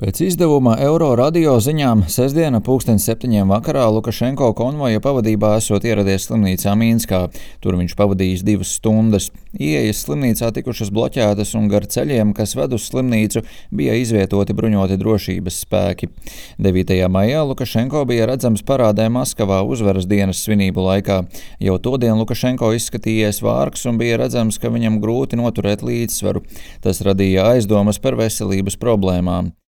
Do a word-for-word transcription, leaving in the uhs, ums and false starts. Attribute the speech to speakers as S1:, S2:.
S1: Pēc izdevuma Euro radio ziņām sestdiena pulksten septiņiem vakarā Lukašenko konvoja pavadībā esot ieradies slimnīcā Mīnskā. Tur viņš pavadījis divas stundas. Ieejas slimnīcā tikušas bloķētas un gar ceļiem, kas ved uz slimnīcu, bija izvietoti bruņoti drošības spēki. devītajā maijā Lukašenko bija redzams parādē Maskavā uzvaras dienas svinību laikā. Jau todien Lukašenko izskatījies vārgs un bija redzams, ka viņam grūti noturēt līdzsvaru. Tas radīja aizdomas par veselības problēmām.